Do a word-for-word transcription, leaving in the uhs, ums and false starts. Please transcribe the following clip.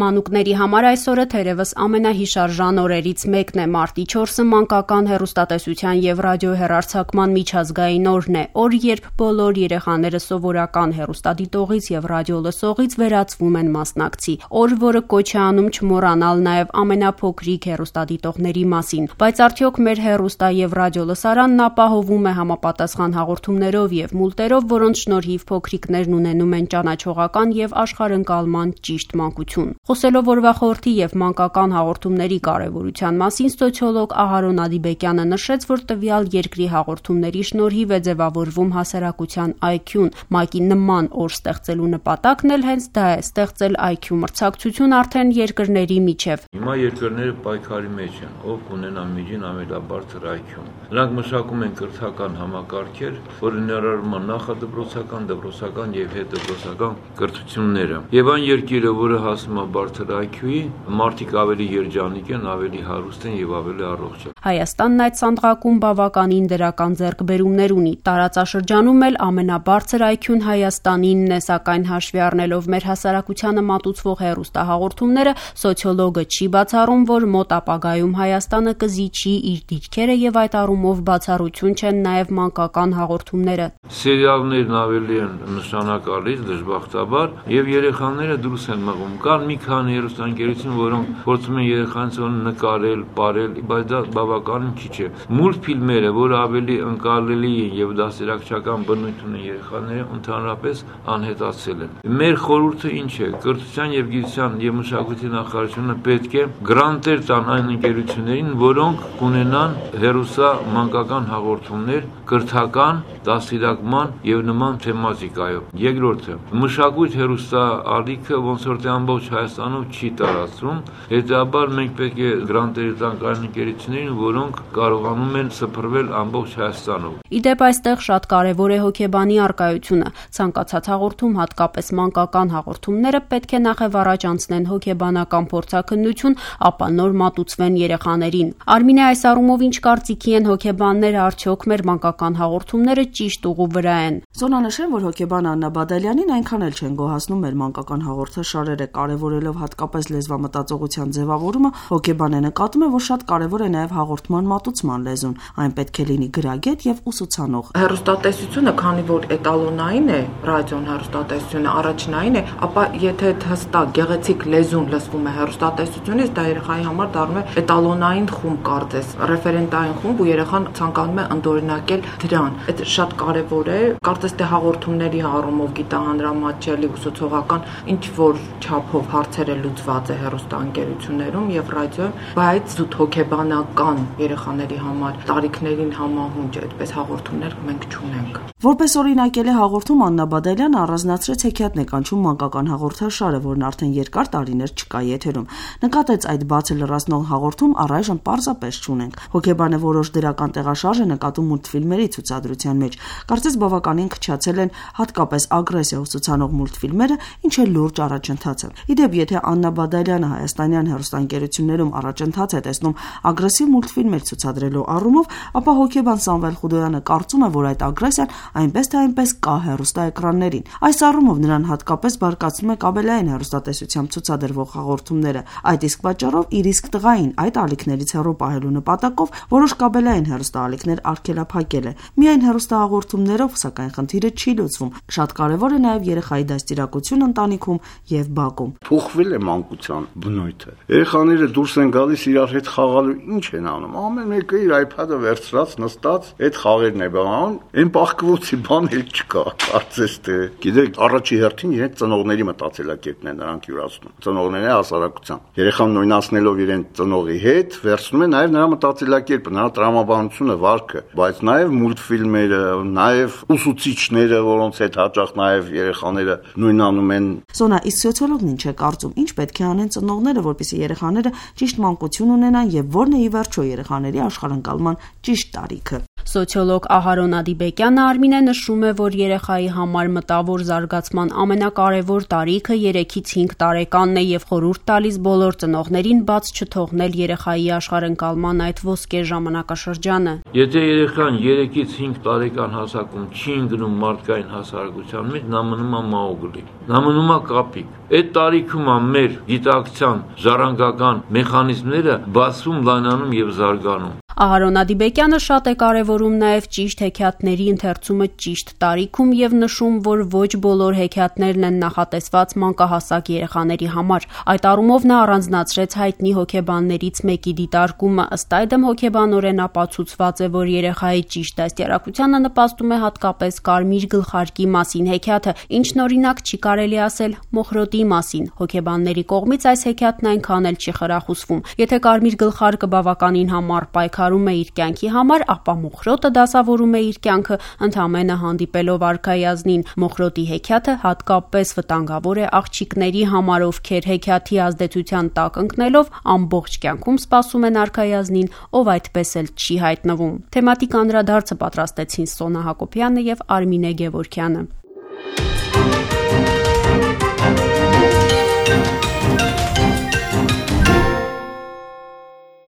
մանուկների համար այսօրը թերևս ամենահիշարժան օրերից մեկն է։ Մարտի չորսը մանկական հեռուստատեսության եւ ռադիոհեռարձակման միջազգային օրն է, օր, երբ բոլոր երեխաները սովորական հեռուստադիտողից եւ ռադիոլսողից վերածվում են մասնակցի, օր, որը կոչ է անում չմոռանալ նաեւ ամենափոքրիկ հեռուստադիտողների մասին։ Բայց արդյոք մեր հեռուստա եւ ռադիոլսարանն ապահովում է համապատասխան հաղորդումներով եւ մուլտերով, որոնց շնորհիվ փոքրիկներն ունենում են ճանաչողական եւ աշխարհընկալման ճիշտ մանկություն։ Խոսելով օրվա խորհրդի եւ մանկական հաղորդումների կարեւորության մասին, սոցիոլոգ Ահարոն Ադիբեկյանը նշեց, որ տվյալ երկրի հաղորդումների շնորհիվ է ձևավորվում հասարակության այ քյուն։ ՄԱԿ-ի նման օր ստեղծելու նպատակն էլ հենց դա է՝ ստեղծել այ քյու մրցակցություն արդեն երկրների միջև։ Հիմա երկրները պայքարի մեջ են, ով կունենա միջին ամենաբարձր այ քյուն։ Նրանք մշակում են կրթական համակարգեր, որը ներառում է նախադպրոցական, դպրոցական եւ հետդպրոցական կրթությունները։ Եվ այն երկիրը, որը հասնում է բարձր այ քյուի, մարդիկ ավելի երջանիկ են, ավելի հարուստ են եւ ավելի առողջ են։ Հայաստանն այդ սանդղակում բավականին դրական ձեռքբերումներ ունի։ Տարածաշրջանում էլ ամենաբարձր այ քյուն Հայաստանինն է, սակայն հաշվի առնելով մեր հասարակությանը մատուցվող հեռուստահաղորդումները, սոցիոլոգը չի բացառում, որ մոտ ապագայում Հայաստանը կզիջի իր դիրքերը եւ այդ առումով բացառություն չեն նաեւ մանկական հաղորդումները։ Սերիալներն ավելի են նշանակալից, դժբախտաբար, եւ երեխաները դուրս են մղում։ Կան մի քանի հեռուստաընկերություն, որոնք փորձում են երեխաներին նկարել, ապարել, բայց դա բավականին քիչ է։ Մուլտֆիլմերը, որը ավելի ընկալելի են եւ դասերակցական բնույթ ունեն երեխաները, ընդհանրապես անհետացել են։ Մեր խորհուրդը ինչ է։ Կրթության եւ գիտության եւ մշակույթի նախարարությունը պետք է գրանտեր տան այն ընկերություններին, որոնք կունենան հեռուստա մանկական հաղորդումներ կրթական, դասիրակման եւ նման թեմատիկայով։ Երկրորդը, մշակույթ հեռուստա ալիքը ոնց որ թե ամբողջ Հայաստանում չի տարածվում, հետաբար մենք պետք է գրանտերի տանք այն ընկերություններին, որոնք կարողանում են սփռվել ամբողջ Հայաստանով։ Իդեպ այստեղ շատ կարևոր է հոգեբանի առկայությունը։ Ցանկացած հաղորդում, հատկապես մանկական հաղորդումները, պետք է նախև առաջ անցնեն հոգեբանական փորձաքննություն, ապա նոր մատուցվեն երեխաներին։ Արմինե, այս առումով ինչ կարծիքի են հոգեբանները, արդյոք մեր մանկական հաղորդումները ճիշտ ուղու վրա են։ Զոնա նշեմ, որ հոգեբան Աննա Բադալյանին այնքան էլ չեն գոհացնում մեր մանկական հաղորդաշարերը, կարևորելով հատկապես լեզվամտածողության ձևավորումը, հոգեբանը նկատում է, որ շատ կարևոր է նաև հաղորդման մատուցման լեզուն, այն պետք է լինի գրագետ եւ ուսուցանող։ Հեռուստատեսությունը, քանի որ էտալոնային է, ռադիոն հեռուստատեսությունը առաջնային է, ապա եթե հստակ գեղեցիկ լեզուն լսվում է հեռուստատեսությունից, դա երեխայի համար դառնում է էտալոնային խումբ, կարծես, ռեֆերենտային խումբ, ու երեխան ցանկանում է ընդօրինակել դրան։ Այդ շատ կարևոր է, կարծես թե հաղորդումների առումով գիտահանրամատչելի ուսուցողական ինչ որ չափով հարցերը լուծված է հեռուստաընկերություններում եւ ռադիոյում, բայց զուտ հոգեբանական երեխաների համար տարիքներին համահունչ այդպես հաղորդումներ մենք չունենք։ Որպես օրինակել է հաղորդում Աննա Բադալյանը առանձնացրեց հեքիաթ նեկանչում մանկական հաղորդաշարը, որն արդեն երկար տարիներ չկա եթերում։ Նկատեց այդ բացը լրացնող հաղորդում առայժմ պարզապես չունենք։ Հոգեբանը որոշ դրական տեղաշարժ է նկատում մուլտֆիլմերի ցուցադրության մեջ։ Կարծես բավականին քչացել են հատկապես ագրեսիա ուսուցանող մուլտֆիլմերը, ինչը լուրջ առաջընթաց է։ Իդեպ, եթե Աննա Բադալյանը հայաստանյան հեռուստաընկերություններում առաջընթաց է տեսնում ագրեսիվ մուլտֆիլմեր ցուցադրելու առումով, ապա հոգեբան Սամվել Խուդոյանը կարծում է, որ այդ ագրեսիան այնպես թե այնպես կա հեռուստաէկրաններին։ Այս առումով նրան հատկապես բարկացնում է կաբելային հեռուստատեսությամբ ցուցադրվող հաղորդումները։ Այդ իսկ պատճառով իր իսկ տղային այդ ալիքներից հեռու պահելու նպատակով որոշ կաբելային հեռուստաալիքներ արգելափակել է։ Միայն հեռուստահաղորդումներով, սակայն խնդիրը չի լուծվում։ Շատ կարևոր է նաև երեխայի դաստիարակությունը ընտանիքում եւ բակում։ Փոխվել է մանկության բնույթը։ Երեխաները դուրս են գալիս իրար հետ խաղալու, ինչ են անում։ Ամեն մեկը իր iPad-ը վերցրած, նստած, այդ խաղերն է բանում, այն բախկվոցի բան էլ չկա։ Կարծես թե, գիտեք, առաջի հերթին իրենց ծնողների մտածելակերպն է նրանք յուրացնում։ Ծնողները հասարակության։ Երեխան նույնացնելով իրեն ծնողի հետ, վերցնում է նաև նրա մտածելակերպը, նրա տրամաբանությունը, վարքը, բայց նաև մուլտֆիլմերը, նաև ուսուցիչները, որոնց հետ հաճախ նաև երեխաները նույնանում են։ Զոնա, իսկ սոցիոլոգն ինչ է կարծում, ինչ պետք է անեն ծնողները, որպեսզի երեխաները ճիշտ մանկություն ունենան եւ որն է ի վերջո երեխաների աշխարհընկալման ճիշտ տարիքը։ Սոցիոլոգ Ահարոն Ադիբեկյանը Արմինե նշում է, որ երեխայի համար մտավոր զարգացման ամենակարևոր տարիքը երեքից հինգ տարեկանն է եւ խորհուրդ տալիս բոլոր ծնողներին բաց չթողնել երեխայի աշխարհընկալման այդ ոսկե ժամանակաշրջանը։ Եթե երեխան երեքից հինգ տարեկան հասակում չի ընկնում մարդկային հասարակության մեջ, նա մնում է մաուգլի, նա մնում է կապիկ։ Այդ տարիքում մեր գիտակցության ժառանգական մեխանիզմները բացվում, լայնանում եւ զարգանում։ Ահարոն Ադիբեկյանը շատ է կարևորում նաև ճիշտ հեքիաթների ընթերցումը ճիշտ տարիքում եւ նշում, որ ոչ բոլոր հեքիաթներն են նախատեսված մանկահասակ երեխաների համար։ Այդ առումով նա առանձնացրեց հայտնի հոգեբաններից մեկի դիտարկումը, ըստ այդմ հոգեբանորեն ապացուցված է, որ երեխայի ճիշտ դաստիարակությանը նպաստում է հատկապես կարմիր գլխարկի մասին հեքիաթը, ինչն օրինակ չի կարելի ասել մոխրոտի մասին։ Հոգեբանների կողմից այս հեքիաթն այնքան էլ չի խրախուսվում։ Եթե կարմիր գլխարկը բավականին համառ պայքարում է իր կյանքի համար, ապա մոխրոտը դասավորում է իր կյանքը ընդամենը հանդիպելով արքայազնին։ Մոխրոտի հեքիաթը հատկապես վտանգավոր է աղջիկների համար, ովքեր հեքիաթի ազդեցության տակ ընկնելով ամբողջ կյանքում սպասում են արքայազնին, ով այդպես էլ չի հայտնվում։ Թեմատիկ անդրադարձը պատրաստեցին Սոնա Հակոբյանը եւ Արմինե Գևորգյանը։